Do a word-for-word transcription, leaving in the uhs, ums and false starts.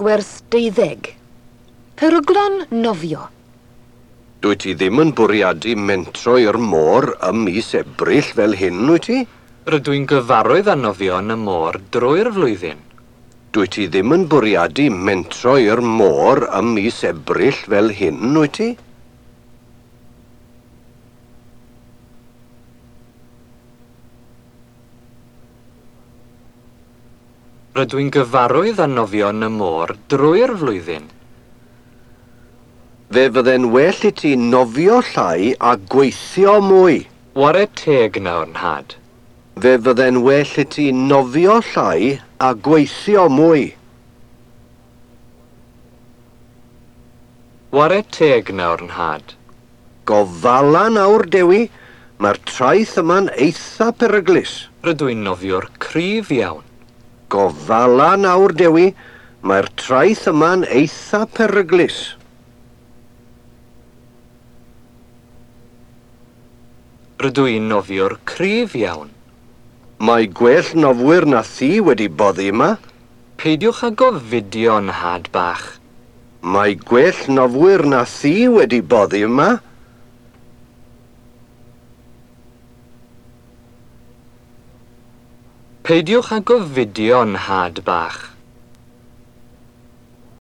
Gwers deuddeg. Peryglon nofio. Dwyt ti ddim yn bwriadu mentro i'r môr ym mis Ebrill fel hyn, wyt ti? Rydw i'n gyfarwydd â nofio yn y môr drwy'r flwyddyn. Dwyt ti ddim yn bwriadu mentro i'r môr ym mis Ebrill fel hyn, wyt ti? Rydw i'n gyfarwydd â nofio yn y môr drwy'r flwyddyn. Fe fydde'n well i ti nofio llai a gweithio mwy. Ware teg nawr, nhad. Fe fydde'n well i ti nofio llai a gweithio mwy. Ware teg nawr, nhad. Gofala nawr, Dewi. Mae'r traeth yma'n eitha peryglus. Rydw i'n nofiwr cryf iawn. Gofala nawr, Dewi. Mae'r traeth yma'n eitha peryglus. Rydw i'n nofiwr cryf iawn. Mae gwell nofwyr na thi wedi boddi yma. Peidiwch â gofidio, nhad bach. Mae gwell nofwyr na thi wedi boddi yma. Peidiwch â gofidio, nhad bach.